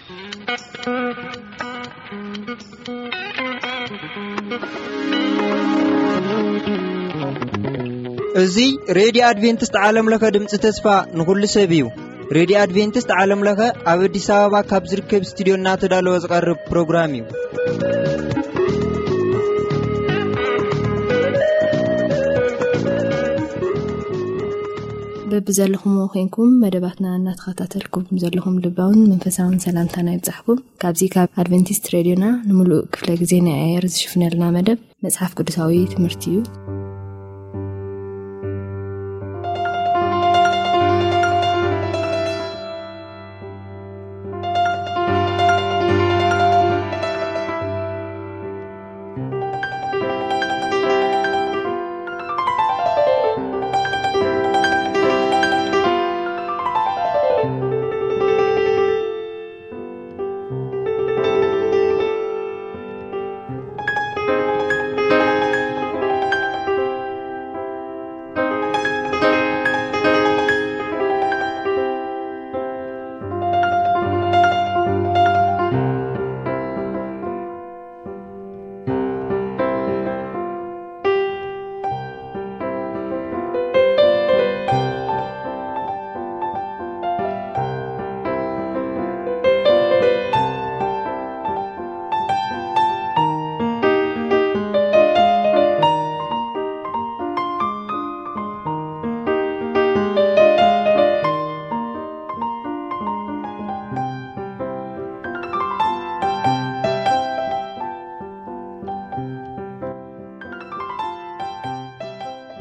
እዚ ሬድዮ ኣድቬንቲስት ዓለም ለኸ ድምፂ ተስፋ ንኹሉ ሰብ እዩ። ሬድዮ ኣድቬንቲስት ዓለም ለኸ ኣብ ኣዲስ ኣበባ ካብ ዝርከብ ስቱዲዮ እናተዳለወ ዝቐርብ ፕሮግራም እዩ። በብዘለኹምዎ ኮይንኩም መደባትና እናተኸታተልኩም ዘለኹም ልባውን መንፈሳውን ሰላምታና ይብጻሕኩም። ካብዚ ካብ ኣድቨንቲስት ሬድዮና ንምሉእ ክፍለ ግዜ ናይ ኣየር ዝሽፍነልና መደብ መጽሓፍ ቅዱሳዊ ትምህርቲ እዩ።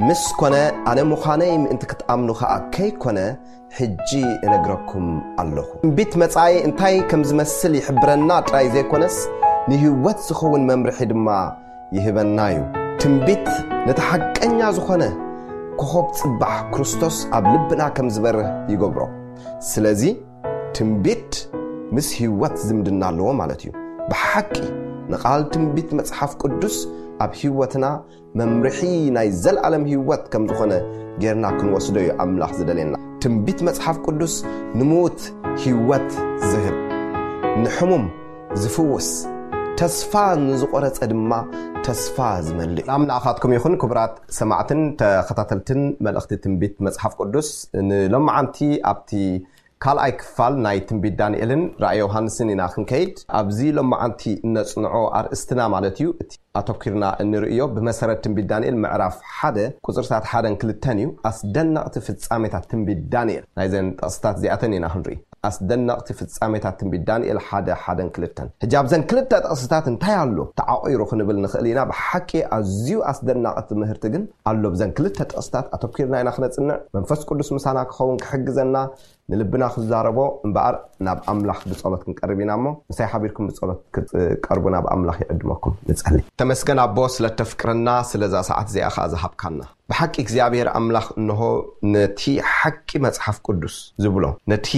ምስ ኮነ፣ ኣነ ምዃነይ ምእንቲ ክትኣምኑ ኸኣ ከይኮነ፣ ሕጂ እነግረኩም ኣለኹ። ትንቢት መጻኢ እንታይ ከም ዝመስል ይሕብረና ጥራይ ዘይኮነስ፣ ንህይወት ዝኸውን መምርሒ ድማ ይህበና እዩ። ትንቢት ነቲ ሓቀኛ ዝኾነ ኮኾብ ጽባሕ ክርስቶስ ኣብ ልብና ከም ዝበርህ ይገብሮ። ስለዚ ትንቢት ምስ ህይወት ዝምድና ኣለዎ ማለት እዩ። ብሓቂ ንቓል ትንቢት መጽሓፍ ቅዱስ ኣብ ህይወትና መምርሒ ናይ ዘለኣለም ህይወት ከም ዝኾነ ጌርና ክንወስዶ እዩ ኣምላኽ ዝደልየና። ትንቢት መጽሓፍ ቅዱስ ንምዉት ህይወት ዝህብ፣ ንሕሙም ዝፍውስ፣ ተስፋ ንዝቖረጸ ድማ ተስፋ ዝመልእ። ሰላም ንኣኻትኩም ይኹን ክቡራት ሰማዕትን ተኸታተልትን መልእኽቲ ትንቢት መጽሓፍ ቅዱስ። ንሎማዓንቲ ኣብቲ ካልኣይ ክፋል ናይ ትንቢት ዳንኤልን ራእይ ዮሃንስን ኢና ክንከይድ። ኣብዚ ሎማዓንቲ እነጽንዖ ኣርእስትና ማለት እዩ፣ እቲ ኣተኲርና እንርእዮ ብመሰረት ትንቢት ዳንኤል ምዕራፍ ሓደ ቁጽርታት ሓደን ክልተን እዩ። ኣስደነቕቲ ፍጻሜታት ትንቢት ዳንኤል፣ ናይዘን ጥቕስታት እዚኣተን ኢና ክንርኢ። ኣስደነቕቲ ፍጻሜታት ትንቢት ዳንኤል ሓደ፣ ሓደን ክልተን። ሕጂ ኣብዘን ክልተ ጥቕስታት እንታይ ኣሎ ተዓቒሩ ክንብል ንኽእል ኢና። ብሓቂ ኣዝዩ ኣስደናቒ ትምህርቲ ግን ኣሎ። ብዘን ክልተ ጥቕስታት ኣተኲርና ኢና ክነጽንዕ። መንፈስ ቅዱስ ምሳና ክኸውን ክሕግዘና፣ ንልብና ክዛረቦ እምበኣር ናብ ኣምላኽ ብጸሎት ክንቀርብ ኢና እሞ፣ ምሳይ ሓቢርኩም ብጸሎት ክትቀርቡ ናብ ኣምላኽ ይዕድመኩም። ንጸሊ። ተመስገን ኣቦ፣ ስለ ተፍቅረና፣ ስለዛ ሰዓት እዚኣ ኸኣ ዝሃብካና። ብሓቂ እግዚኣብሔር ኣምላኽ እንሆ ነቲ ሓቂ መጽሓፍ ቅዱስ ዝብሎ፣ ነቲ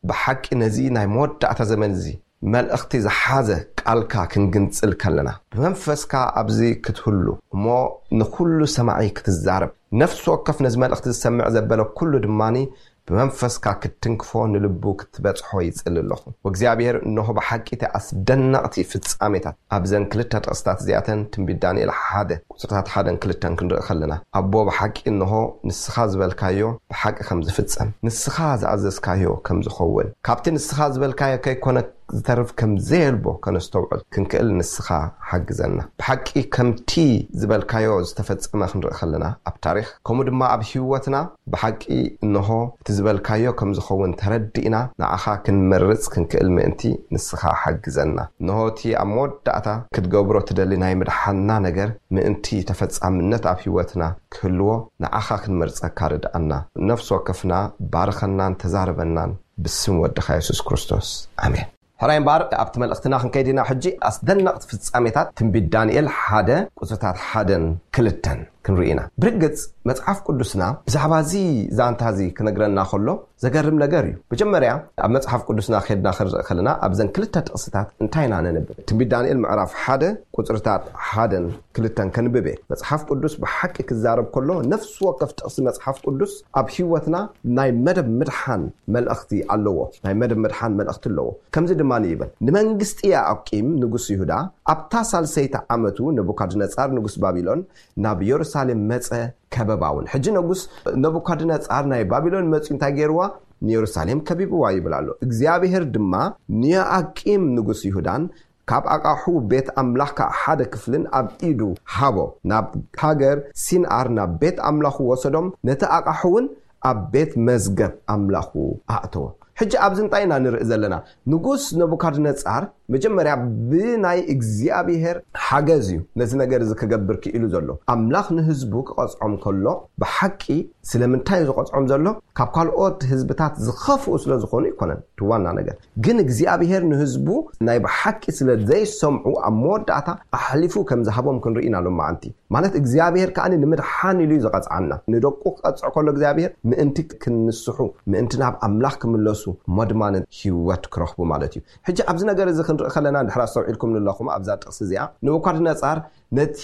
ብሓቂ ነዚ ናይ መወዳእታ ዘመን እዚ መልእኽቲ ዝሓዘ ቃልካ ክንግንጽል ከለና፣ ብመንፈስካ ኣብዚ ክትህሉ እሞ ንኹሉ ሰማዒ ክትዛረብ፣ ነፍሲ ወከፍ ነዚ መልእኽቲ ዝሰምዕ ዘበለ ኩሉ ድማኒ ብመንፈስካ ክትትንክፎ ንልቡ ክትበጽሖ ይጽሊ ኣለኹ። ወእግዚኣብሔር እንሆ ብሓቂ እቲ ኣስደነቕቲ ፍጻሜታት ኣብዘን ክልተ ጥቕስታት እዚኣተን ትንቢት ዳንኤል ሓደ ቁጽርታት ሓደን ክልተን ክንርኢ ከለና፣ ኣቦ ብሓቂ እንሆ ንስኻ ዝበልካዮ ብሓቂ ከም ዝፍጸም፣ ንስኻ ዝኣዘዝካዮ ከም ዝኸውን፣ ካብቲ ንስኻ ዝበልካዮ ከይኮነ ዝተርፍ ከም ዘየልቦ ከነስተውዕል ክንክእል ንስኻ ሓግዘና። ብሓቂ ከምቲ ዝበልካዮ ዝተፈጸመ ክንርኢ ከለና ኣብ ታሪኽ፣ ከምኡ ድማ ኣብ ህይወትና ብሓቂ እንሆ እቲ ዝበልካዮ ከም ዝኸውን ተረዲእና ንዓኻ ክንመርጽ ክንክእል ምእንቲ ንስኻ ሓግዘና። እንሆ እቲ ኣብ መወዳእታ ክትገብሮ ትደሊ ናይ ምድሓንና ነገር ምእንቲ ተፈጻምነት ኣብ ህይወትና ክህልዎ ንዓኻ ክንመርጸካ ርድኣና። ነፍሲ ወከፍና ባርኸናን ተዛረበናን ብስም ወድኻ የሱስ ክርስቶስ። ኣሜን። ሕራይ እምበኣር ኣብቲ መልእኽትና ክንከይድ ኢና። ሕጂ ኣስደነቕቲ ፍጻሜታት ትንቢት ዳንኤል ሓደ ቁጽርታት ሓደን ክልተን ክንርኢ ኢና። ብርግጽ መጽሓፍ ቅዱስና ብዛዕባ እዚ ዛንታ እዚ ክነግረና ከሎ ዘገርም ነገር እዩ። መጀመርያ ኣብ መጽሓፍ ቅዱስና ኬድና ክንርኢ ከለና ኣብዘን ክልተ ጥቕስታት እንታይ ኢና ነንብብ? ትንቢት ዳንኤል ምዕራፍ ሓደ ቁጽርታት ሓደን ክልተን ከንብብ እየ። መጽሓፍ ቅዱስ ብሓቂ ክዛረብ ከሎ ነፍሲ ወከፍ ጥቕሲ መጽሓፍ ቅዱስ ኣብ ህይወትና ናይ መደብ ምድሓን መልእኽቲ ኣለዎ። ናይ መደብ ምድሓን መልእኽቲ ኣለዎ። ከምዚ ድማ ይብል፣ ንመንግስቲ ያኣቂም ንጉስ ይሁዳ ኣብታ ሳልሰይቲ ዓመቱ ነቡካድነጻር ንጉስ ባቢሎን ናብ የሩሳሌም መጸ፣ ከበባ እውን። ሕጂ ንጉስ ነቡካድነጻር ናይ ባቢሎን መጺኡ እንታይ ገይርዋ? ንየሩሳሌም ከቢብዋ ይብል ኣሎ። እግዚኣብሔር ድማ ንዮኣቂም ንጉስ ይሁዳን ካብ ኣቃሑ ቤት ኣምላኽካ ሓደ ክፍልን ኣብ ኢዱ ሃቦ። ናብ ሃገር ሲንኣር ናብ ቤት ኣምላኹ ወሰዶም፣ ነቲ ኣቃሑ እውን ኣብ ቤት መዝገብ ኣምላኹ ኣእተዎ። ሕጂ ኣብዚ እንታይ ኢና ንርኢ ዘለና? ንጉስ ነቡካድነጻር መጀመርያ ብናይ እግዚኣብሔር ሓገዝ እዩ ነዚ ነገር እዚ ክገብር ክኢሉ ዘሎ። ኣምላኽ ንህዝቡ ክቐጽዖም ከሎ ብሓቂ ስለምንታይ እዩ ዝቐጽዖም ዘሎ? ካብ ካልኦት ህዝብታት ዝኸፍኡ ስለ ዝኾኑ ይኮነን እቲ ዋና ነገር። ግን እግዚኣብሔር ንህዝቡ ናይ ብሓቂ ስለ ዘይሰምዑ ኣብ መወዳእታ ኣሕሊፉ ከም ዝሃቦም ክንርኢ ኢና ሎማዓንቲ። ማለት እግዚኣብሔር ከኣ ንምድሓን ኢሉ እዩ ዝቐጽዓና። ንደቁ ክቐጽዕ ከሎ እግዚኣብሔር ምእንቲ ክንስሑ፣ ምእንቲ ናብ ኣምላኽ ክምለሱ፣ እሞ ድማ ህይወት ክረኽቡ ማለት እዩ። ሕጂ ኣብዚ ነገር እዚ ክንርኢ ከለና፣ እንድሕር ኣስተውዒልኩም ኣለኹም ኣብዛ ጥቕሲ እዚኣ፣ ነቡካድነጻር ነቲ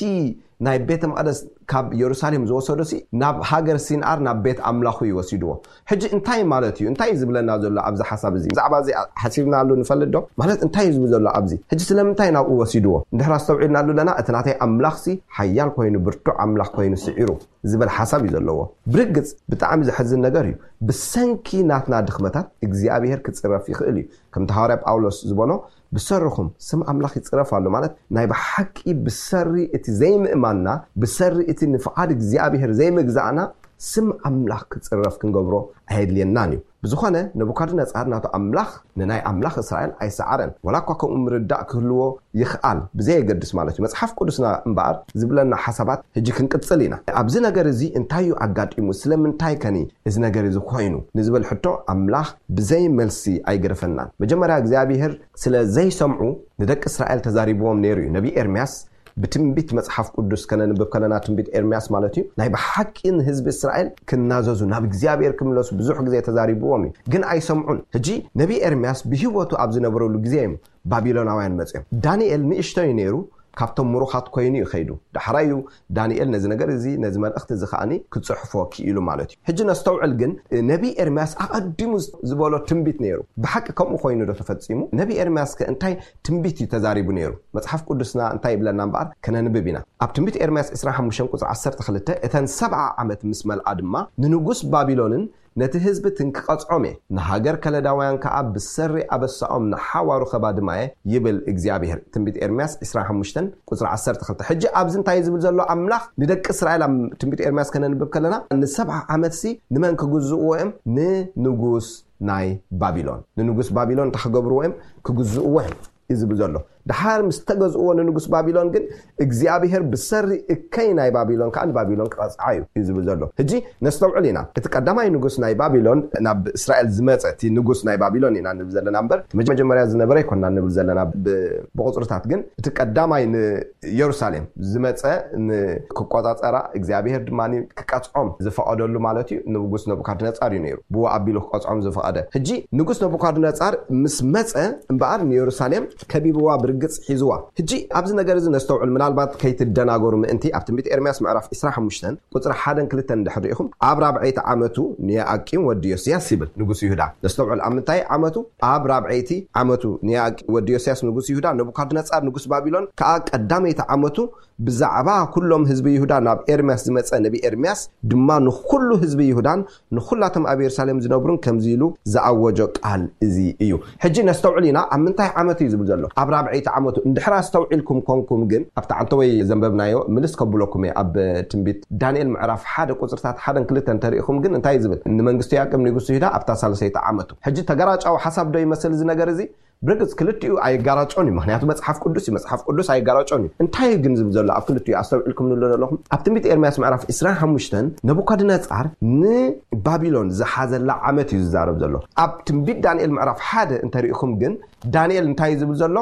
ናይ ቤተ መቕደስ ካብ የሩሳሌም ዝወሰዶ ሲ ናብ ሃገር ሲንኣር ናብ ቤት ኣምላኹ እዩ ወሲድዎ። ሕጂ እንታይ ማለት እዩ? እንታይ እዩ ዝብለና ዘሎ ኣብዚ ሓሳብ እዚ? ብዛዕባ እዚ ሓሲብናሉ ንፈልጥ ዶ? ማለት እንታይ እዩ ዝብል ዘሎ ኣብዚ? ሕጂ ስለምንታይ ናብኡ ወሲድዎ? እንድሕር ኣስተውዒልናሉ ኣለና፣ እቲ ናተይ ኣምላኽ ሲ ሓያል ኮይኑ፣ ብርቱዕ ኣምላኽ ኮይኑ ስዒሩ ዝብል ሓሳብ እዩ ዘለዎ። ብርግጽ ብጣዕሚ ዘሕዝን ነገር እዩ። ብሰንኪ ናትና ድኽመታት እግዚኣብሔር ክጽረፍ ይኽእል እዩ። ከምቲ ሃዋርያ ጳውሎስ ዝበሎ፣ ብሰርኹም ስም ኣምላኽ ይጽረፍ ኣሎ። ማለት ናይ ብሓቂ ብሰሪ እቲ ዘይምእማንና፣ ብሰሪ እቲ ንፍቓድ እግዚኣብሔር ዘይምግዛእና ስም ኣምላኽ ክጽረፍ ክንገብሮ ኣየድልየናን እዩ። ብዝኾነ ነቡካድነጻር ናቱ ኣምላኽ ንናይ ኣምላኽ እስራኤል ኣይሰዓረን። ወላ እኳ ከምኡ ምርዳእ ክህልዎ ይኽኣል፣ ብዘየገድስ ማለት እዩ። መጽሓፍ ቅዱስና እምበኣር ዝብለና ሓሳባት ሕጂ ክንቅጽል ኢና። ኣብዚ ነገር እዚ እንታይ እዩ ኣጋጢሙ? ስለምንታይ ከኒ እዚ ነገር እዚ ኮይኑ ንዝብል ሕቶ ኣምላኽ ብዘይ መልሲ ኣይገደፈናን። መጀመርያ እግዚኣብሔር ስለ ዘይሰምዑ ንደቂ እስራኤል ተዛሪብዎም ነይሩ እዩ። ነቢ ኤርምያስ ብትንቢት መጽሓፍ ቅዱስ ከነንብብ ከለና፣ ትንቢት ኤርምያስ ማለት እዩ፣ ናይ ብሓቂ ንህዝቢ እስራኤል ክናዘዙ፣ ናብ እግዚኣብሔር ክምለሱ ብዙሕ ግዜ ተዛሪብዎም እዩ። ግን ኣይሰምዑን። ሕጂ ነቢ ኤርምያስ ብህይወቱ ኣብ ዝነበረሉ ግዜ እዮም ባቢሎናውያን መጽዮም። ዳንኤል ንእሽቶ እዩ ነይሩ፣ ካብቶም ምሩኻት ኮይኑ እዩ ከይዱ። ዳሕራይ እዩ ዳንኤል ነዚ ነገር እዚ፣ ነዚ መልእኽቲ እዚ ከኣኒ ክጽሕፎ ክኢሉ ማለት እዩ። ሕጂ ነስተውዕል ግን፣ ነቢ ኤርምያስ ኣቐዲሙ ዝበሎ ትንቢት ነይሩ። ብሓቂ ከምኡ ኮይኑ ዶ ተፈጺሙ? ነቢ ኤርምያስ ከ እንታይ ትንቢት እዩ ተዛሪቡ ነይሩ? መጽሓፍ ቅዱስና እንታይ ይብለና እምበኣር ከነንብብ ኢና። ኣብ ትንቢት ኤርምያስ ዕስራን ሓሙሽተን ቁጽሪ ዓሰርተ ክልተ፣ "እተን ሰብዓ ዓመት ምስ መልኣ ድማ ንንጉስ ባቢሎንን ነቲ ህዝብትን ክቐጽዖም እየ፣ ንሃገር ከለዳውያን ከኣ ብሰሪ ኣበሳኦም ንሓዋሩ ከባድማ እየ" ይብል እግዚኣብሔር። ትንቢት ኤርምያስ ዕስራን ሓሙሽተን ቁጽሪ ዓሰርተ ክልተ። ሕጂ ኣብዚ እንታይ እዩ ዝብል ዘሎ? ኣምላኽ ንደቂ እስራኤል ኣብ ትንቢት ኤርምያስ ከነንብብ ከለና፣ ንሰብዓ ዓመትሲ ንመን ክግዝእዎ እዮም? ንንጉስ ናይ ባቢሎን። ንንጉስ ባቢሎን እንታይ ክገብርዎ እዮም? ክግዝእዎ እዮም እዩ ዝብል ዘሎ። ድሓር ምስ ተገዝእዎ ንንጉስ ባቢሎን ግን እግዚኣብሔር ብሰሪ እከይ ናይ ባቢሎን ከኣ ንባቢሎን ክቐጽዓ እዩ እዩ ዝብል ዘሎ። ሕጂ ነስተውዕል ኢና። እቲ ቀዳማይ ንጉስ ናይ ባቢሎን ናብ እስራኤል ዝመጸ፣ እቲ ንጉስ ናይ ባቢሎን ኢና ንብል ዘለና እምበር፣ እቲ መጀመርያ ዝነበረ ኣይኮንና ንብል ዘለና ብ-፣ ብቑጽርታት። ግን እቲ ቀዳማይ ንየሩሳሌም ዝመጸ፣ ን-፣ ክቆጻጸራ እግዚኣብሔር ድማ ክቀጽዖም ዝፈቐደሉ ማለት እዩ፣ ንጉስ ነቡካድነጻር እዩ ነይሩ። ብኡ ኣቢሉ ክቀጽዖም ዝፈቐደ። ሕጂ ንጉስ ነቡካድነጻር ምስ መጸ እምበኣር ንየሩሳሌም ከቢብዋ ብርግጽ ሒዝዋ። ሕጂ ኣብዚ ነገር እዚ ነስተውዕል፣ ምናልባት ከይትደናገሩ ምእንቲ። ኣብ ትንቢት ኤርምያስ ምዕራፍ ዕስራን ሓሙሽተን ቁጽሪ ሓደን ክልተን እንድሕር ርኢኹም፣ "ኣብ ራብዐይቲ ዓመቱ ንዮኣቂም ወዲ ዮስያስ" ይብል፣ ንጉስ ይሁዳ። ነስተውዕል፣ ኣብ ምንታይ ዓመቱ? ኣብ ራብዐይቲ ዓመቱ ንዮኣቂም ወዲ ዮስያስ ንጉስ ይሁዳ፣ ነቡካድነጻር ንጉስ ባቢሎን ከኣ ቀዳመይቲ ዓመቱ ብዛዕባ ኩሎም ህዝቢ ይሁዳ ናብ ኤርምያስ ዝመጸ ነቢ ኤርምያስ ድማ ንኹሉ ህዝቢ ይሁዳን ንኹላቶም ኣብ የሩሳሌም ዝነብሩን ከምዚ ኢሉ ዝኣወጆ ቃል እዚ እዩ። ሕጂ ነስተውዕል ኢና፣ ኣብ ምንታይ ዓመት እዩ ዝብል ዘሎ? ኣብ ራብዐይቲ ዓመቱ። እንድሕር ኣስተውዒልኩም ኮንኩም ግን፣ ኣብቲ ዓንተወይ ዘንበብናዮ ምልስ ከብለኩም እየ። ኣብ ትንቢት ዳንኤል ምዕራፍ ሓደ ቁጽርታት ሓደን ክልተን እንተሪኢኹም ግን እንታይ እዩ ዝብል? "ንመንግስቲ ያዕቆብ ንጉስ ይሁዳ ኣብታ ሳልሰይቲ ዓመቱ።" ሕጂ ተገራጫዊ ሓሳብ ዶ ይመስል እዚ ነገር እዚ? ብርግጽ ክልቲኡ ኣይጋራጮን እዩ፣ ምኽንያቱ መጽሓፍ ቅዱስ እዩ። መጽሓፍ ቅዱስ ኣይጋራጮን እዩ። እንታይ እዩ ግን ዝብል ዘሎ ኣብ ክልቲኡ? ኣስተውዒልኩም ንብሎ ዘለኹም፣ ኣብ ትንቢት ኤርምያስ ምዕራፍ ዕስራን ሓሙሽተን ነቡካድነጻር ንባቢሎን ዝሓዘላ ዓመት እዩ ዝዛረብ ዘሎ። ኣብ ትንቢት ዳንኤል ምዕራፍ ሓደ እንተሪኢኹም ግን፣ ዳንኤል እንታይ እዩ ዝብል ዘሎ?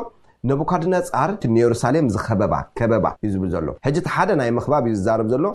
ነቡካድነጻር እቲ ንየሩሳሌም ዝኸበባ ከበባ እዩ ዝብል ዘሎ። ሕጂ እቲ ሓደ ናይ ምኽባብ እዩ ዝዛረብ ዘሎ፣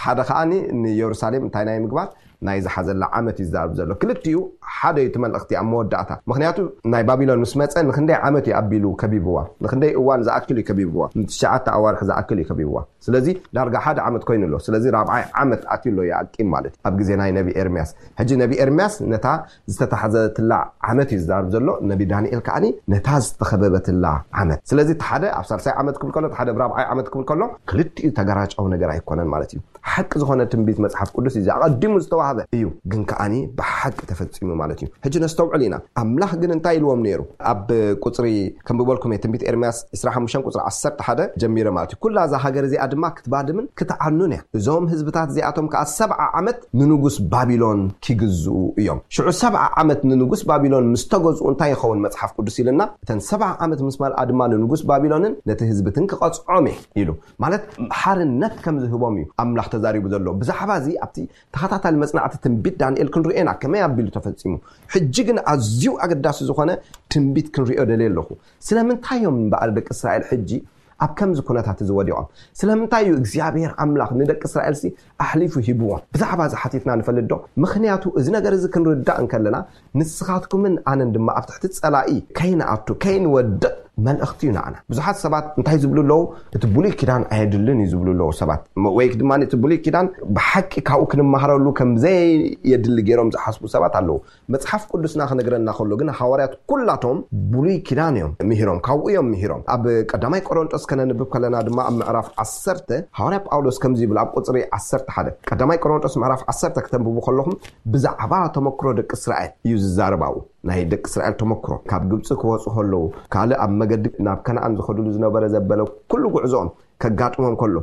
ሓደ ከዓኒ ንየሩሳሌም እንታይ ናይ ምግባር ናይ ዝሓዘላ ዓመት እዩ ዝዛረብ ዘሎ። ክልቲኡ ሓደ እዩ እቲ መልእኽቲ ኣብ መወዳእታ። ምኽንያቱ ናይ ባቢሎን ምስ መጸ ንክንደይ ዓመት እዩ ኣቢሉ ከቢብዋ፣ ንክንደይ እዋን ዝኣክል እዩ ከቢብዋ፣ ንትሽዓተ ኣዋርሕ ዝኣክል እዩ ከቢብዋ። ስለዚ ዳርጋ ሓደ ዓመት ኮይኑ ኣሎ። ስለዚ ራብዓይ ዓመት ኣትዩ ኣሎ ይኣቂም ማለት እዩ ኣብ ግዜ ናይ ነቢ ኤርምያስ። ሕጂ ነቢ ኤርምያስ ነታ ዝተታሕዘትላ ዓመት እዩ ዝዛረብ ዘሎ። ነቢ ዳንኤል ከዓኒ ነታ ዝተኸበበትላ ዓመት። ስለዚ እቲ ሓደ ኣብ ሳልሳይ ዓመት ክብል ከሎ፣ እቲ ሓደ ኣብ ራብዓይ ዓመት ክብል ከሎ፣ ክልቲኡ ተገራጫዊ ነገር ኣይኮነን ማለት እዩ። ሓቂ ዝኾነ ትንቢት መጽሓፍ ቅዱስ እዩ ኣቐዲሙ ዝተዋህበ እዩ፣ ግን ከዓኒ ብሓቂ ተፈጺሙ ማለት እዩ። ሕጂ ነስተውዕል ኢና። ኣምላኽ ግን እንታይ ኢልዎም ነይሩ? ኣብ ቁጽሪ ከም ብበልኩም እየ፣ ትንቢት ኤርምያስ ዕስራን ሓሙሽተን ቁጽሪ ዓሰርተ ሓደ ጀሚረ ማለት እዩ። ኩላ እዛ ሃገር እዚኣ ድማ ክትባድምን ክትዓኑን እያ። እዞም ህዝብታት እዚኣቶም ከኣ ሰብዓ ዓመት ንንጉስ ባቢሎን ኪግዝኡ እዮም። ሽዑ ሰብዓ ዓመት ንንጉስ ባቢሎን ምስ ተገዝኡ እንታይ ይኸውን መጽሓፍ ቅዱስ ኢልና? እተን ሰብዓ ዓመት ምስ መልኣ ድማ ንንጉስ ባቢሎንን ነቲ ህዝብትን ክቐጽዖም እየ ኢሉ። ማለት ሓርነት ከም ዝህቦም እዩ ኣምላኽ ተዛሪቡ ዘሎ። ብዛዕባ እዚ ኣብቲ ተኸታታሊ መጽናዕቲ ትንቢት ዳንኤል ክንርእዮ ኢና፣ ከመይ ኣቢሉ ተፈጺሙ። ሕጂ ግን ኣዝዩ ኣገዳሲ ዝኾነ ትንቢት ክንርእዮ ደልየ ኣለኹ። ስለምንታይ እዮም እምበኣር ደቂ እስራኤል ሕጂ ኣብ ከምዚ ኩነታት እዚ ወዲቖም? ስለምንታይ እዩ እግዚኣብሔር ኣምላኽ ንደቂ እስራኤልሲ ኣሕሊፉ ሂብዎም? ብዛዕባ እዚ ሓቲትና ንፈልጥ ዶ? ምኽንያቱ እዚ ነገር እዚ ክንርዳእ እንከለና ንስኻትኩምን ኣነን ድማ ኣብ ትሕቲ ጸላኢ ከይንኣቱ፣ ከይንወድቕ መልእኽቲ እዩ ንዓና። ብዙሓት ሰባት እንታይ ዝብሉ ኣለዉ? እቲ ብሉይ ኪዳን ኣየድልን እዩ ዝብሉ ኣለዉ ሰባት። ም-፣ ወይ ድማ እቲ ብሉይ ኪዳን ብሓቂ ካብኡ ክንመሃረሉ ከም ዘየድሊ ገይሮም ዝሓስቡ ሰባት ኣለዉ። መጽሓፍ ቅዱስና ክነግረና ከሎ ግን ሃዋርያት ኩላቶም ብሉይ ኪዳን እዮም ምሂሮም፣ ካብኡ እዮም ምሂሮም። ኣብ ቀዳማይ ቆሮንጦስ ከነንብብ ከለና ድማ ኣብ ምዕራፍ ዓሰርተ ሃዋርያ ጳውሎስ ከምዚ ይብል ኣብ ቁጽሪ ዓሰርተ ሓደ። ቀዳማይ ቆሮንጦስ ምዕራፍ ዓሰርተ ክተንብቡ ከለኹም ብዛዕባ ተመክሮ ደቂ እስራኤል እዩ ዝዛረብ ኣብኡ። ናይ ደቂ እስራኤል ተመክሮ ካብ ግብጺ ክወጹ ከለዉ፣ ካልእ ኣብ መገዲ ናብ ከነኣን ዝኸድሉ ዝነበረ ዘበለ ኩሉ ጉዕዞኦም ከጋጥሞም ከሎ፣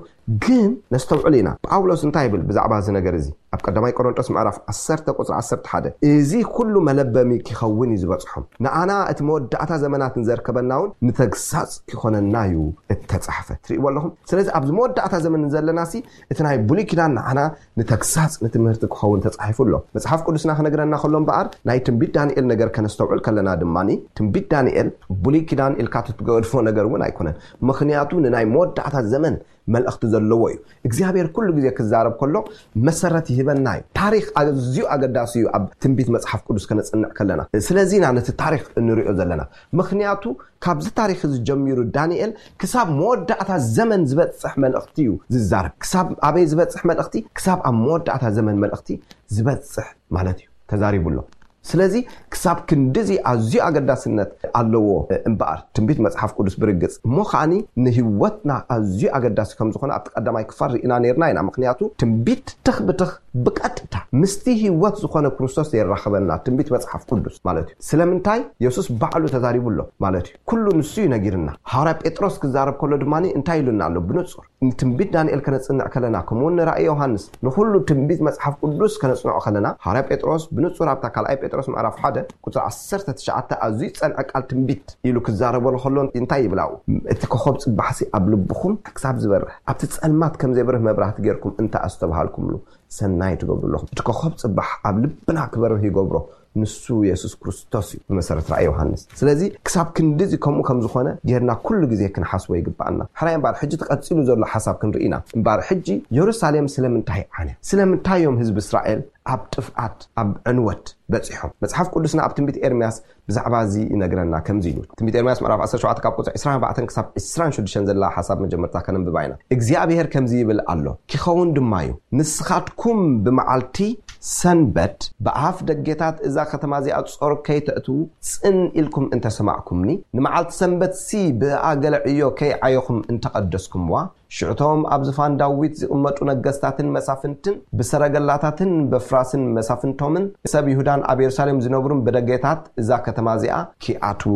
ግን ነስተውዕል ኢና። ጳውሎስ እንታይ ይብል ብዛዕባ እዚ ነገር እዚ? ኣብ ቀዳማይ ቆሮንጦስ ምዕራፍ ዓሰርተ ቁጽሪ ዓሰርተ ሓደ፣ "እዚ ኩሉ መለበሚ ኪኸውን እዩ ዝበጽሖም። ንኣና እቲ መወዳእታ ዘመናት ንዘርከበና እውን ንተግሳጽ ኪኾነና እዩ እተጻሕፈ።" ትርእይዎ ኣለኹም? ስለዚ ኣብዚ መወዳእታ ዘመን ዘለናሲ እቲ ናይ ብሉይ ኪዳን ንዓና ንተግሳጽ ንትምህርቲ ክኸውን ተጻሒፉ ኣሎ። መጽሓፍ ቅዱስና ክነግረና ከሎ እምበኣር ናይ ትንቢት ዳንኤል ነገር ከነስተውዕል ከለና ድማኒ ትንቢት ዳንኤል ብሉይ ኪዳን ኢልካ ትትገድፎ ነገር እውን ኣይኮነን። ምኽንያቱ ንናይ መወዳእታ ዘመን መልእኽቲ ዘለዎ እዩ። እግዚኣብሔር ኩሉ ግዜ ክዛረብ ከሎ መሰረት ይህበና እዩ። ታሪኽ ኣዝዩ ኣገዳሲ እዩ ኣብ ትንቢት መጽሓፍ ቅዱስ ከነጽንዕ ከለና። ስለዚ ኢና ነቲ ታሪኽ እንሪኦ ዘለና። ምኽንያቱ ካብዚ ታሪኽ እዚ ጀሚሩ ዳንኤል ክሳብ መወዳእታ ዘመን ዝበጽሕ መልእኽቲ እዩ ዝዛረብ። ክሳብ ኣበይ ዝበጽሕ መልእኽቲ? ክሳብ ኣብ መወዳእታ ዘመን መልእኽቲ ዝበጽሕ ማለት እዩ ተዛሪቡ ኣሎ። ስለዚ ክሳብ ክንድዚ ኣዝዩ ኣገዳስነት ኣለዎ እምበኣር ትንቢት መጽሓፍ ቅዱስ ብርግጽ እሞ ከዓኒ ንህይወትና ኣዝዩ ኣገዳሲ ከም ዝኾነ ኣብቲ ቀዳማይ ክፋል ርኢና ነርና ኢና። ምኽንያቱ ትንቢት ትኽ ብትኽ ብቀጥታ ምስቲ ህይወት ዝኾነ ክርስቶስ የራኽበና ትንቢት መጽሓፍ ቅዱስ ማለት እዩ። ስለምንታይ? የሱስ ባዕሉ ተዛሪቡ ኣሎ ማለት እዩ። ኩሉ ንሱ እዩ ነጊርና። ሃዋርያ ጴጥሮስ ክዛረብ ከሎ ድማ እንታይ ኢሉና ኣሎ ብንጹር? ንትንቢት ዳንኤል ከነጽንዕ ከለና፣ ከምኡውን ንራእይ ዮሃንስ፣ ንኹሉ ትንቢት መጽሓፍ ቅዱስ ከነጽንዖ ከለና፣ ሃዋርያ ጴጥሮስ ብንጹር ኣብታ ካልኣይ ጴጥሮስ ምዕራፍ ሓደ ቁጽሪ ዓሰርተ ትሽዓተ ኣዝዩ ዝጸንዐ ቃል ትንቢት ኢሉ ክዛረበሉ ከሎ እንታይ ይብል ኣብኡ? "እቲ ኮኸብ ጽባሕሲ ኣብ ልብኹም ክሳብ ዝበርህ፣ ኣብቲ ጸልማት ከም ዘይበርህ መብራህቲ ጌርኩም እንተ ኣስተብሃልኩምሉ፣ ሰናይ ትገብሩ ኣለኹም።" እቲ ኮኸብ ጽባሕ ኣብ ልብና ክበርህ ይገብሮ። ንሱ የሱስ ክርስቶስ እዩ ብመሰረት ራእይ ዮሃንስ። ስለዚ ክሳብ ክንድዚ ከምኡ ከም ዝኾነ ጌርና ኩሉ ግዜ ክንሓስቦ ይግብኣና። ሕራይ እምበኣር ሕጂ ተቐጺሉ ዘሎ ሓሳብ ክንርኢ ኢና። እምበኣር ሕጂ የሩሳሌም ስለምንታይ ዓንያ? ስለምንታይ እዮም ህዝቢ እስራኤል ኣብ ጥፍኣት፣ ኣብ ዕንወት በጺሖም? መጽሓፍ ቅዱስና ኣብ ትንቢት ኤርምያስ ብዛዕባ እዚ ይነግረና ከምዚ ኢሉ። ትንቢት ኤርምያስ ምዕራፍ ዓሰርተ ሸውዓተ ካብ ቁጽሪ ዕስራን ኣርባዕተን ክሳብ ዕስራን ሽዱሽተን ዘላ ሓሳብ መጀመርታ ከነንብባ ኢና። እግዚኣብሔር ከምዚ ይብል ኣሎ፣ ኪኸውን ድማ እዩ፣ ንስኻትኩም ብመዓልቲ ሰንበት ብኣፍ ደጌታት እዛ ከተማ እዚኣ ጾር ከይተእትዉ ጽን ኢልኩም እንተሰማዕኩምኒ፣ ንመዓልቲ ሰንበትሲ ብእኣ ገለ ዕዮ ከይዓየኹም እንተቐደስኩምዋ፣ ሽዑቶም ኣብ ዝፋን ዳዊት ዝቕመጡ ነገስታትን መሳፍንትን ብሰረገላታትን በፍራስን መሳፍንቶምን ሰብ ይሁዳን ኣብ የሩሳሌም ዝነብሩን ብደጌታት እዛ ከተማ እዚኣ ኪኣትዉ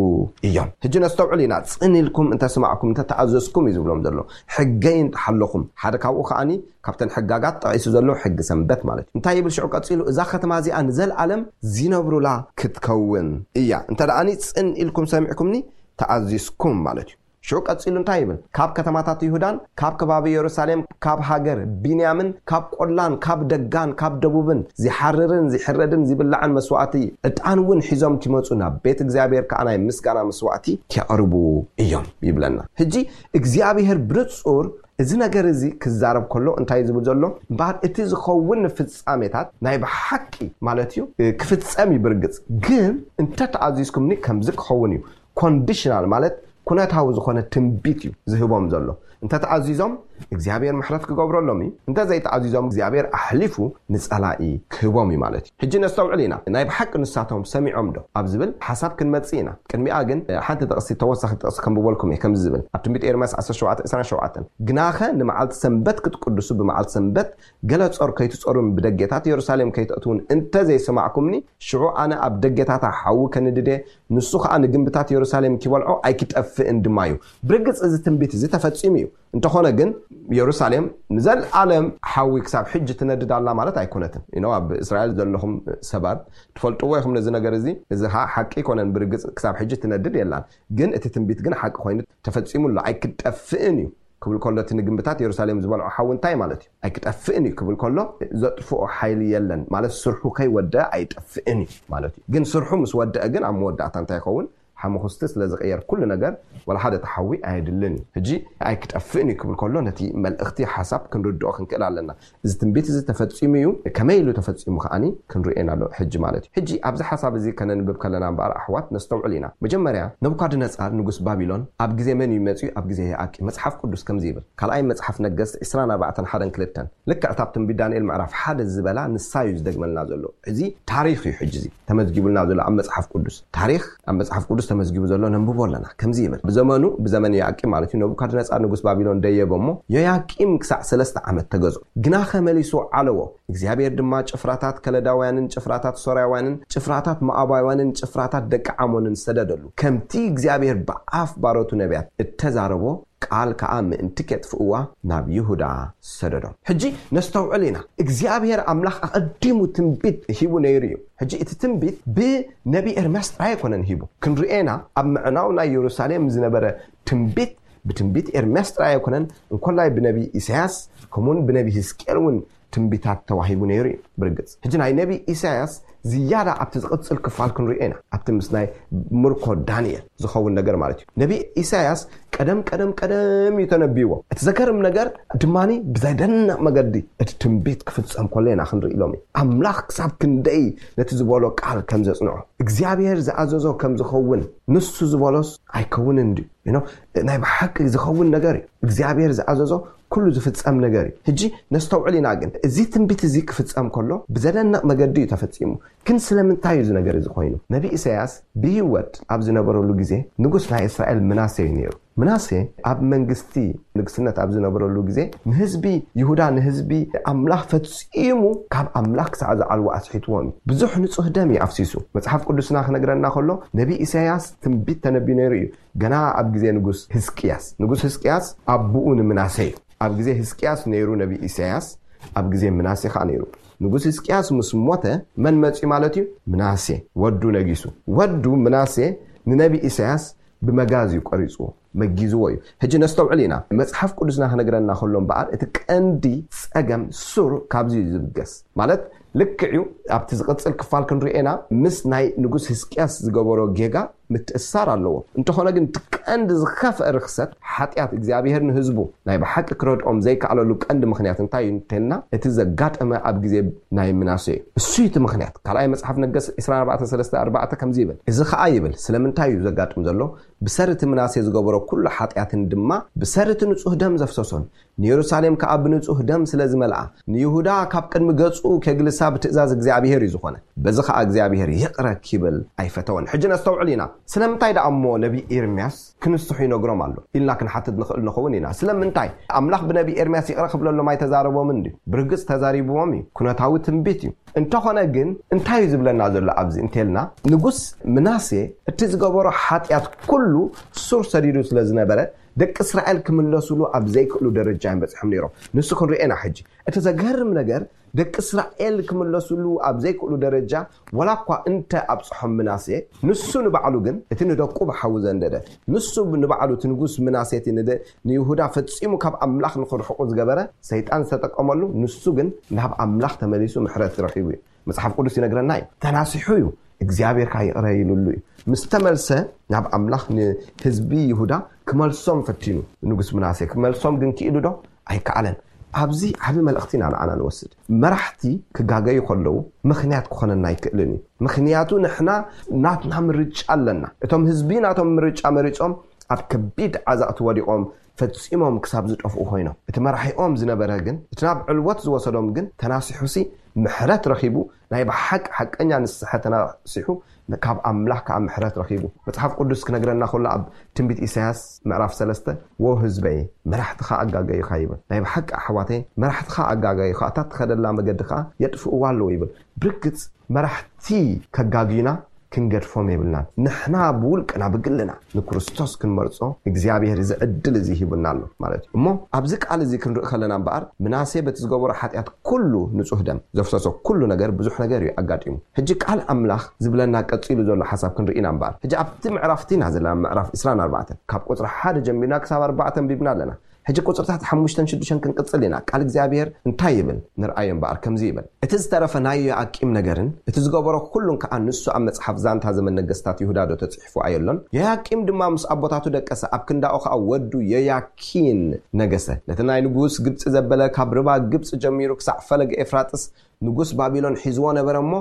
እዮም። ሕጂ ነስተውዕል ኢና። ጽን ኢልኩም እንተሰማዕኩም፣ እንተተኣዘዝኩም እዩ ዝብሎም ዘሎ። ሕገይ እንተሓለኹም፣ ሓደ ካብኡ ከኣኒ ካብተን ሕጋጋት ጠቒሱ ዘሎ ሕጊ ሰንበት ማለት እዩ። እንታይ ይብል ሽዑ ቀጺሉ? እዛ ከተማ እዚኣ ንዘለኣለም ዝነብሩላ ክትከውን እያ። እንተ ደኣኒ ጽን ኢልኩም ሰሚዕኩምኒ፣ ተኣዚዝኩም ማለት እዩ። ሽዑ ቀጺሉ እንታይ ይብል? ካብ ከተማታት ይሁዳን ካብ ከባቢ የሩሳሌም፣ ካብ ሃገር ቢንያምን፣ ካብ ቆላን ካብ ደጋን፣ ካብ ደቡብን፣ ዚሓርርን ዚሕረድን ዚብላዕን መስዋእቲ ዕጣን እውን ሒዞም ኪመጹ፣ ናብ ቤት እግዚኣብሔር ከኣ ናይ ምስጋና መስዋእቲ ኪያቕርቡ እዮም ይብለና። ሕጂ እግዚኣብሔር ብንጹር እዚ ነገር እዚ ክዛረብ ከሎ እንታይ ዝብል ዘሎ? እምበኣር እቲ ዝኸውን ፍጻሜታት ናይ ብሓቂ ማለት እዩ ክፍጸም እዩ። ብርግጽ ግን እንተተኣዚዝኩምኒ ከምዚ ክኸውን እዩ። ኮንዲሽናል ማለት ኩነታዊ ዝኾነ ትንቢት እዩ ዝህቦም ዘሎ። እንተተኣዚዞም እግዚኣብሔር ምሕረት ክገብረሎም እዩ። እንተዘይተኣዚዞም እግዚኣብሔር ኣሕሊፉ ንጸላኢ ክህቦም እዩ ማለት እዩ። ሕጂ ነስተውዕል ኢና። ናይ ብሓቂ ንሳቶም ሰሚዖም ዶ ኣብ ዝብል ሓሳብ ክንመጽእ ኢና። ቅድሚኣ ግን ሓንቲ ጥቕሲ፣ ተወሳኺ ጥቕሲ ከንብበልኩም እየ። ከምዚ ዝብል ኣብ ትንቢት ኤርምያስ ዓሰርተ ሸውዓተ ዕስራን ሸውዓተን፣ "ግናኸ ንመዓልቲ ሰንበት ክትቅድሱ፣ ብመዓልቲ ሰንበት ገለ ጾር ከይትጾሩን ብደጌታት የሩሳሌም ከይትእትውን እንተዘይሰማዕኩምኒ፣ ሽዑ ኣነ ኣብ ደጌታታ ሓዊ ከንድደ፣ ንሱ ኸኣ ንግንብታት የሩሳሌም ኪበልዖ ኣይኪጠፍእን ድማ እዩ።" ብርግጽ እዚ ትንቢት እዚ ተፈጺሙ እዩ። እንተኾነ ግን የሩሳሌም ንዘለኣለም ሓዊ ክሳብ ሕጂ ትነድድ ኣላ ማለት ኣይኮነትን። ኢኖ ኣብ እስራኤል ዘለኹም ሰባት ትፈልጥዎ ኢኹም ነዚ ነገር እዚ። እዚ ኸኣ ሓቂ ኣይኮነን። ብርግጽ ክሳብ ሕጂ ትነድድ የላን። ግን እቲ ትንቢት ግን ሓቂ ኮይኑ ተፈጺሙ ኣሎ። ኣይክጠፍእን እዩ ክብል ከሎ፣ እቲ ንግንብታት የሩሳሌም ዝበልዖ ሓዊ እንታይ ማለት እዩ? ኣይክጠፍእን እዩ ክብል ከሎ፣ ዘጥፍኦ ሓይሊ የለን ማለት፣ ስርሑ ከይወደአ ኣይጠፍእን እዩ ማለት እዩ። ግን ስርሑ ምስ ወደአ ግን ኣብ መወዳእታ እንታይ ይኸውን? ሓሙኽስቲ ስለ ዝቕየር ኩሉ ነገር፣ ወላ ሓደ ተሓዊ ኣየድልን እዩ። ሕጂ ኣይክጠፍእን እዩ ክብል ከሎ፣ ነቲ መልእኽቲ ሓሳብ ክንርድኦ ክንክእል ኣለና። እዚ ትንቢት እዚ ተፈጺሙ እዩ። ከመይ ኢሉ ተፈጺሙ ከኣኒ ክንርእዮ ኢና ኣሎ ሕጂ ማለት እዩ። ሕጂ ኣብዚ ሓሳብ እዚ ከነንብብ ከለና እምበኣር ኣሕዋት ነስተውዕል ኢና። መጀመርያ ነቡካድነጻር ንጉስ ባቢሎን ኣብ ግዜ መን እዩ መጺኡ? ኣብ ግዜ የኣቂ። መጽሓፍ ቅዱስ ከምዚ ይብል። ካልኣይ መጽሓፍ ነገስት ዕስራን ኣርባዕተን ሓደን ክልተን። ልክዕ እታ ኣብ ትንቢት ዳንኤል ምዕራፍ ሓደ ዝበላ ንሳ እዩ ዝደግመልና ዘሎ። እዚ ታሪኽ እዩ ሕጂ እዚ ተመዝጊቡልና ዘሎ ኣብ መጽሓፍ ቅዱስ። ታሪኽ ኣብ መጽሓፍ ቅዱስ ተመዝጊቡ ዘሎ ነንብቦ ኣለና። ከምዚ ይብል። ብዘመኑ፣ ብዘመን ዮያቂም ማለት እዩ፣ ነቡካድነጻር ንጉስ ባቢሎን ደየበ እሞ፣ ዮያቂም ክሳዕ ሰለስተ ዓመት ተገዝኦ። ግናኸ መሊሱ ዓለዎ። እግዚኣብሔር ድማ ጭፍራታት ከለዳውያንን ጭፍራታት ሶርያውያንን ጭፍራታት ሞዓባውያንን ጭፍራታት ደቂ ዓሞንን ሰደደሉ። ከምቲ እግዚኣብሔር ብኣፍ ባሮቱ ነቢያት እተዛረቦ ቃል ከኣ ምእንቲ ኬጥፍእዋ ናብ ይሁዳ ሰደዶም። ሕጂ ነስተውዕል ኢና። እግዚኣብሔር ኣምላኽ ኣቐዲሙ ትንቢት ሂቡ ነይሩ እዩ። ሕጂ እቲ ትንቢት ብነቢ ኤርምያስ ጥራይ ኣይኮነን ሂቡ። ክንርእየና ኣብ ምዕናው ናይ የሩሳሌም ዝነበረ ትንቢት ብትንቢት ኤርምያስ ጥራይ ኣይኮነን፣ እንኮላይ ብነቢ ኢሳያስ ከምኡውን ብነቢ ህዝቅኤል እውን ትንቢታት ተዋሂቡ ነይሩ እዩ። ብርግጽ ሕጂ ናይ ነቢ ኢሳያስ ዝያዳ ኣብቲ ዝቕጽል ክፋል ክንሪኦ ኢና። ኣብቲ ምስ ናይ ምርኮ ዳንኤል ዝኸውን ነገር ማለት እዩ። ነቢ ኢሳያስ ቀደም ቀደም ቀደም እዩ ተነቢዎ። እቲ ዘገርም ነገር ድማኒ ብዘደንቕ መገዲ እቲ ትንቢት ክፍጸም ከሎ ኢና ክንርኢ ሎሚ። ኣምላኽ ክሳብ ክንደይ ነቲ ዝበሎ ቃል ከም ዘጽንዖ፣ እግዚኣብሔር ዝኣዘዞ ከም ዝኸውን፣ ንሱ ዝበሎስ ኣይከውንን ድዩ? You know፣ ናይ ብሓቂ ዝኸውን ነገር እዩ። እግዚኣብሔር ዝኣዘዞ ኩሉ ዝፍጸም ነገር እዩ። ሕጂ ነስተውዕል ኢና ግን፣ እዚ ትንቢት እዚ ክፍጸም ከሎ ብዘደንቕ መገዲ እዩ ተፈጺሙ። ግን ስለምንታይ እዩ እዚ ነገር እዚ ኮይኑ? ነቢ ኢሳያስ ብህይወት ኣብ ዝነበረሉ ግዜ ንጉስ ናይ እስራኤል ምናሴ እዩ ነይሩ። ምናሴ ኣብ መንግስቲ ንግስነት ኣብ ዝነበረሉ ግዜ ንህዝቢ ይሁዳ፣ ንህዝቢ ኣምላኽ ፈጺሙ ካብ ኣምላኽ ክሳዕ ዝዓልዎ ኣስሒትዎም እዩ። ብዙሕ ንጹህ ደም እዩ ኣፍሲሱ። መጽሓፍ ቅዱስና ክነግረና ከሎ ነቢ ኢሳያስ ትንቢት ተነቢዩ ነይሩ እዩ። ገና ኣብ ግዜ ንጉስ ህዝቅያስ። ንጉስ ህዝቅያስ ኣቦኡ ንምናሴ እዩ። ኣብ ግዜ ህዝቅያስ ነይሩ ነቢ ኢሳያስ፣ ኣብ ግዜ ምናሴ ኸኣ ነይሩ። ንጉስ ህዝቅያስ ምስ ሞተ መን መጺኡ ማለት እዩ? ምናሴ ወዱ ነጊሱ። ወዱ ምናሴ ንነቢ ኢሳያስ ብመጋዝ እዩ ቆሪጽዎ፣ መጊዝዎ እዩ። ሕጂ ነስተውዕል ኢና። መጽሓፍ ቅዱስና ክነግረና ከሎ እምበኣር እቲ ቀንዲ ጸገም ሱር ካብዚ እዩ ዝብገስ። ማለት ልክዕ እዩ፣ ኣብቲ ዝቕጽል ክፋል ክንሪኦ ኢና፣ ምስ ናይ ንጉስ ህዝቅያስ ዝገበሮ ጌጋ ምትእስሳር ኣለዎ። እንተኾነ ግን እቲ ቀንዲ ዝኸፍአ ርኽሰት ሓጢኣት እግዚኣብሔር ንህዝቡ ናይ ብሓቂ ክረድኦም ዘይከኣለሉ ቀንዲ ምኽንያት እንታይ እዩ እንተልና፣ እቲ ዘጋጠመ ኣብ ግዜ ናይ ምናሴ እዩ። እሱ እዩ እቲ ምኽንያት። ካልኣይ መጽሓፍ ነገስ ዕስራን ኣርባዕተን ሰለስተ ኣርባዕተ ከምዚ ይብል። እዚ ኸኣ ይብል፣ ስለምንታይ እዩ ዘጋጥም ዘሎ? ብሰሪ እቲ ምናሴ ዝገበሮ ኩሉ ሓጢኣትን ድማ ብሰሪ እቲ ንጹህ ደም ዘፍሰሶን ንየሩሳሌም ከኣ ብንጹህ ደም ስለ ዝመልኣ፣ ንይሁዳ ካብ ቅድሚ ገጹ ኬግልሳ ብትእዛዝ እግዚኣብሔር እዩ ዝኾነ። በዚ ኸኣ እግዚኣብሔር ይቕረ ኪብል ኣይፈተወን። ሕጂ ነስተውዕል ኢና። ስለምንታይ ደኣ እሞ ነቢ ኤርምያስ ክንስሑ ይነግሮም ኣሎ ኢልና ክንሓትት ንኽእል ንኸውን ኢና። ስለምንታይ? ኣምላኽ ብነቢ ኤርምያስ ይቕረ ክብለሎም ኣይተዛረቦምን ድዩ? ብርግጽ ተዛሪብዎም እዩ። ኩነታዊ ትንቢት እዩ። እንተኾነ ግን እንታይ እዩ ዝብለና ዘሎ ኣብዚ እንተልና፣ ንጉስ ምናሴ እቲ ዝገበሮ ሓጢኣት ኩሉ ሱር ሰዲዱ ስለ ዝነበረ፣ ደቂ እስራኤል ክምለሱሉ ኣብ ዘይክእሉ ደረጃ እዮም በጺሖም ነይሮም። ንሱ ክንሪኦ ኢና ሕጂ። እቲ ዘገርም ነገር፣ ደቂ እስራኤል ክምለሱሉ ኣብ ዘይክእሉ ደረጃ ዋላ እኳ እንተ ኣብጽሖም ምናሴ፣ ንሱ ንባዕሉ ግን እቲ ንደቁ ብሓዊ ዘንደደ፣ ንሱ ንባዕሉ እቲ ንጉስ ምናሴ እቲ ንደ-፣ ንይሁዳ ፈጺሙ ካብ ኣምላኽ ንኽርሕቑ ዝገበረ ሰይጣን ዝተጠቀመሉ፣ ንሱ ግን ናብ ኣምላኽ ተመሊሱ ምሕረት ረኺቡ እዩ። መጽሓፍ ቅዱስ ይነግረና እዩ። ተናሲሑ እዩ። እግዚኣብሔር ከኣ ይቕረ ኢሉሉ እዩ። ምስ ተመልሰ ናብ ኣምላኽ ንህዝቢ ይሁዳ ክመልሶም ፈቲኑ። ንጉስ ምናሴ ክመልሶም ግን ክኢሉ ዶ? ኣይከኣለን። ኣብዚ ዓቢ መልእኽቲ ኢና ንዓና ንወስድ። መራሕቲ ክጋገዩ ከለዉ ምኽንያት ክኾነና ኣይክእልን እዩ። ምኽንያቱ ንሕና ናትና ምርጫ ኣለና። እቶም ህዝቢ ናቶም ምርጫ መሪጾም ኣብ ከቢድ ዓዛቕቲ ወዲቖም ፈጺሞም ክሳብ ዝጠፍኡ ኮይኖም። እቲ መራሒኦም ዝነበረ ግን፣ እቲ ናብ ዕልወት ዝወሰዶም ግን ተናሲሑሲ ምሕረት ረኺቡ፣ ናይ ብሓቂ ሓቀኛ ንስሐ ተናሲሑ ካብ ኣምላኽ ከዓ ምሕረት ረኺቡ። መጽሓፍ ቅዱስ ክነግረና ከሎ ኣብ ትንቢት ኢሳያስ ምዕራፍ ሰለስተ "ወ ህዝበይ መራሕትኻ ኣጋገዩኻ" ይብል። ናይ ብሓቂ ኣሕዋተይ መራሕትኻ ኣጋገዩኻ፣ እታ ትኸደላ መገዲ ከዓ የጥፍእዋ ኣለዉ ይብል። ብርግጽ መራሕቲ ከጋግዩና ክንገድፎም የብልናን። ንሕና ብውልቅና ብግልና ንክርስቶስ ክንመርጾ እግዚኣብሔር እዚ ዕድል እዚ ሂቡና ኣሎ ማለት እዩ። እሞ ኣብዚ ቃል እዚ ክንርኢ ከለና እምበኣር ምናሴ በቲ ዝገበሮ ሓጢኣት ኩሉ ንጹህ ደም ዘፍሰሶ ኩሉ ነገር ብዙሕ ነገር እዩ ኣጋጢሙ። ሕጂ ቃል ኣምላኽ ዝብለና ቀጺሉ ዘሎ ሓሳብ ክንርኢ ኢና እምበኣር። ሕጂ ኣብቲ ምዕራፍ እቲ ኢና ዘለና ምዕራፍ ዕስራን ኣርባዕተን ካብ ቁጽሪ ሓደ ጀሚርና ክሳብ ኣርባዕተ ኣንቢብና ኣለና። ሕጂ ቁጽርታት ሓሙሽተን ሽዱሽተን ክንቅጽል ኢና። ቃል እግዚኣብሔር እንታይ ይብል ንርኣዮ እምበኣር ከምዚ ይብል። እቲ ዝተረፈ ናይ ዮኣቂም ነገርን እቲ ዝገበሮ ኩሉን ከኣ ንሱ ኣብ መጽሓፍ ዛንታ ዘመን ነገስታት ይሁዳ ዶ ተጽሒፉ ኣየሎን? ዮያቂም ድማ ምስ ኣቦታቱ ደቀሰ፣ ኣብ ክንዳኡ ከኣ ወዱ ዮያኪን ነገሰ። ነቲ ናይ ንጉስ ግብጺ ዘበለ ካብ ርባ ግብጺ ጀሚሩ ክሳዕ ፈለገ ኤፍራጥስ ንጉስ ባቢሎን ሒዝዎ ነበረ እሞ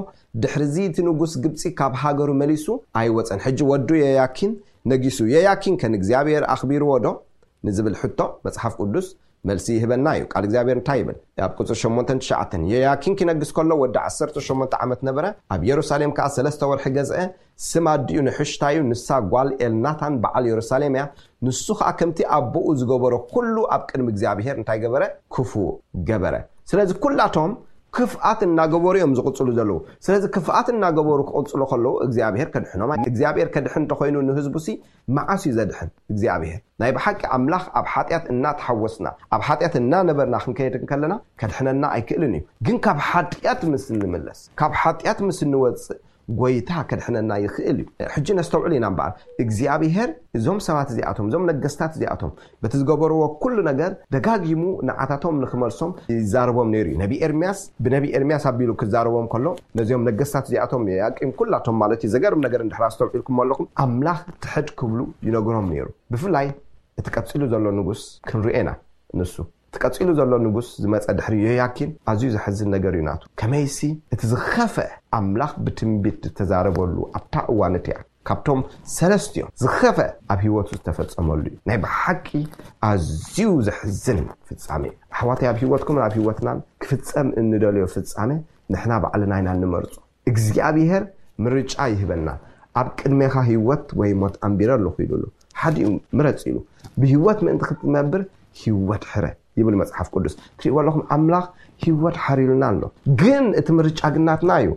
ድሕርዚ እቲ ንጉስ ግብጺ ካብ ሃገሩ መሊሱ ኣይወጸን። ሕጂ ወዱ ዮያኪን ነጊሱ። ዮያኪን ከ ንእግዚኣብሔር ኣኽቢርዎ ዶ ንዝብል ሕቶ መጽሓፍ ቅዱስ መልሲ ይህበና እዩ። ቃል እግዚኣብሔር እንታይ ይብል? ኣብ ቁጽሪ ሸሞንተን ትሽዓተን "ዮያኪን ኪነግስ ከሎ ወዲ ዓሰርተ ሸሞንተ ዓመት ነበረ፣ ኣብ የሩሳሌም ከኣ ሰለስተ ወርሒ ገዝአ። ስም ኣዲኡ ንሕሽታዩ፣ ንሳ ጓል ኤልናታን በዓል የሩሳሌም እያ። ንሱ ከኣ ከምቲ ኣቦኡ ዝገበሮ ኩሉ ኣብ ቅድሚ እግዚኣብሔር እንታይ ገበረ? ክፉእ ገበረ።" ስለዚ ኩላቶም ክፍኣት እናገበሩ እዮም ዝቕጽሉ ዘለዉ። ስለዚ ክፍኣት እናገበሩ ክቕጽሉ ከለዉ እግዚኣብሔር ከድሕኖም ኣይ-፣ እግዚኣብሔር ከድሕን እንተኾይኑ ንህዝቡሲ መዓስ እዩ ዘድሕን እግዚኣብሔር? ናይ ብሓቂ ኣምላኽ ኣብ ሓጢኣት እናተሓወስና፣ ኣብ ሓጢኣት እናነበርና ክንከይድ እንከለና ከድሕነና ኣይክእልን እዩ። ግን ካብ ሓጢኣት ምስ እንምለስ፣ ካብ ሓጢኣት ምስ እንወጽእ ጎይታ ከድሕነና ይኽእል እዩ። ሕጂ ነስተውዕል ኢና እምበኣር፣ እግዚኣብሔር እዞም ሰባት እዚኣቶም፣ እዞም ነገስታት እዚኣቶም በቲ ዝገበርዎ ኩሉ ነገር ደጋጊሙ ንዓታቶም ንኽመልሶም ይዛረቦም ነይሩ እዩ። ነቢ ኤርምያስ ብነቢ ኤርምያስ ኣቢሉ ክዛረቦም ከሎ ነዚኦም ነገስታት እዚኣቶም ዮያቂም ኩላቶም ማለት እዩ። ዘገርም ነገር እንድሕር ኣስተውዒልኩም ኣለኹም፣ ኣምላኽ ትሕድ ክብሉ ይነግሮም ነይሩ። ብፍላይ እቲ ቀጺሉ ዘሎ ንጉስ ክንሪኦ ኢና። ንሱ እቲ ቀጺሉ ዘሎ ንጉስ ዝመጸ ድሕሪ ዮያኪን ኣዝዩ ዘሕዝን ነገር እዩ ናቱ። ከመይሲ እቲ ዝኸፍአ ኣምላኽ ብትንቢት ዝተዛረበሉ ኣብታ እዋን እቲኣ ካብቶም ሰለስቲኦም ዝኸፍአ ኣብ ህይወቱ ዝተፈጸመሉ እዩ። ናይ ብሓቂ ኣዝዩ ዘሕዝን ፍጻሜ እዩ። ኣሕዋተይ፣ ኣብ ህይወትኩምን ኣብ ህይወትናን ክፍጸም እንደልዮ ፍጻሜ ንሕና ባዕልና ኢና እንመርጾ። እግዚኣብሔር ምርጫ ይህበና። ኣብ ቅድሜኻ ህይወት ወይ ሞት ኣንቢረ ኣለኹ ኢሉ ኣሎ። ሓዲኡ ምረጽ ኢሉ። ብህይወት ምእንቲ ክትነብር ህይወት ሕረ ይብል መጽሓፍ ቅዱስ። ትሪእዎ ኣለኹም፣ ኣምላኽ ህይወት ሓሪሉና ኣሎ። ግን እቲ ምርጫ ግን ናትና እዩ።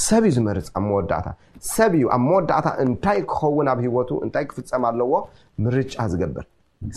ሰብ እዩ ዝመርጽ ኣብ መወዳእታ። ሰብ እዩ ኣብ መወዳእታ እንታይ ክኸውን፣ ኣብ ህይወቱ እንታይ ክፍጸም ኣለዎ ምርጫ ዝገብር።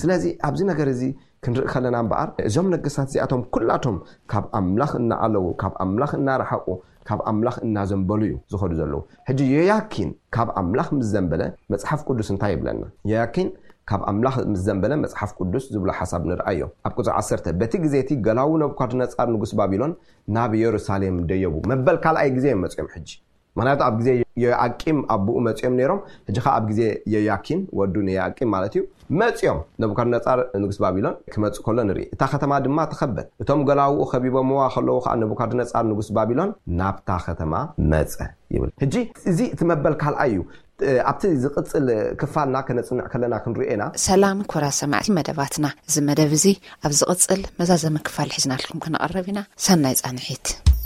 ስለዚ ኣብዚ ነገር እዚ ክንርኢ ከለና እምበኣር፣ እዞም ነገስታት እዚኣቶም ኩላቶም ካብ ኣምላኽ እናዓለዉ፣ ካብ ኣምላኽ እናረሓቑ፣ ካብ ኣምላኽ እናዘንበሉ እዩ ዝኸዱ ዘለዉ። ሕጂ ዮያኪን ካብ ኣምላኽ ምስ ዘንበለ መጽሓፍ ቅዱስ እንታይ ይብለና? ዮያኪን ካብ ኣምላኽ ምስ ዘንበለ መጽሓፍ ቅዱስ ዝብሎ ሓሳብ ንርኣዮ። ኣብ ቁጽሪ ዓሰርተ፣ በቲ ግዜ እቲ ገላዉ ነቡካድነጻር ንጉስ ባቢሎን ናብ የሩሳሌም ደየቡ። መበል ካልኣይ ግዜ እዮም መጺኦም ሕጂ። ምኽንያቱ ኣብ ግዜ ዮያቂም ኣቦኡ መጺኦም ነይሮም፣ ሕጂ ኸኣ ኣብ ግዜ ዮያኪን ወዱ ንዮያቂም ማለት እዩ መጺኦም። ነቡካድነጻር ንጉስ ባቢሎን ክመጽእ ከሎ ንርኢ። እታ ከተማ ድማ ተኸበት። እቶም ገላዉኡ ከቢቦምዋ ከለዉ ኸኣ ነቡካድነጻር ንጉስ ባቢሎን ናብታ ከተማ መጸ ይብል። ሕጂ እዚ እቲ መበል ካልኣይ እዩ። ኣብቲ ዝቕጽል ክፋልና ከነጽንዕ ከለና ክንሪኦ ኢና። ሰላም ክቡራት ሰማዕቲ መደባትና፣ እዚ መደብ እዚ ኣብ ዝቕጽል መዛዘሚ ክፋል ሒዝናልኩም ክንቐርብ ኢና። ሰናይ ጻንሒት።